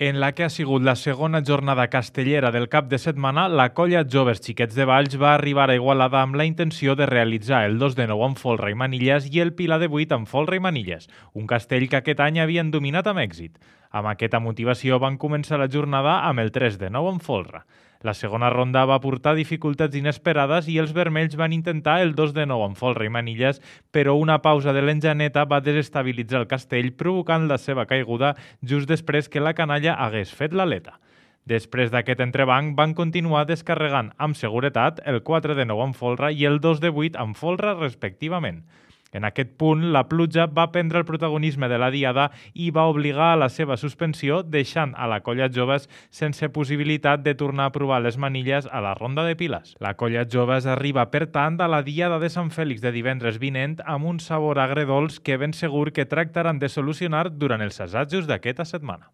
En la que ha sigut la segona jornada castellera del cap de setmana, la colla Joves Xiquets de Valls va arribar a Igualada amb la intenció de realitzar el 2 de 9 amb folre i manilles i el Pilar de 8 amb folre i manilles, un castell que aquest any havien dominat amb èxit. Amb aquesta motivació van començar la jornada amb el 3 de 9 amb folre. La segona ronda va portar dificultats inesperades i els vermells van intentar el 2 de 9 amb folre i manilles, però una pausa de l'enjaneta va desestabilitzar el castell, provocant la seva caiguda just després que la canalla hagués fet l'aleta. Després d'aquest entrebanc, van continuar descarregant amb seguretat el 4 de 9 amb folre i el 2 de 8 amb folre respectivament. En aquest punt, la pluja va prendre el protagonisme de la diada i va obligar a la seva suspensió, deixant a la colla Joves sense possibilitat de tornar a provar les manilles a la ronda de piles. La colla Joves arriba, per tant, a la diada de Sant Fèlix de divendres vinent amb un sabor agredolç que ben segur que tractaran de solucionar durant els assajos d'aquesta setmana.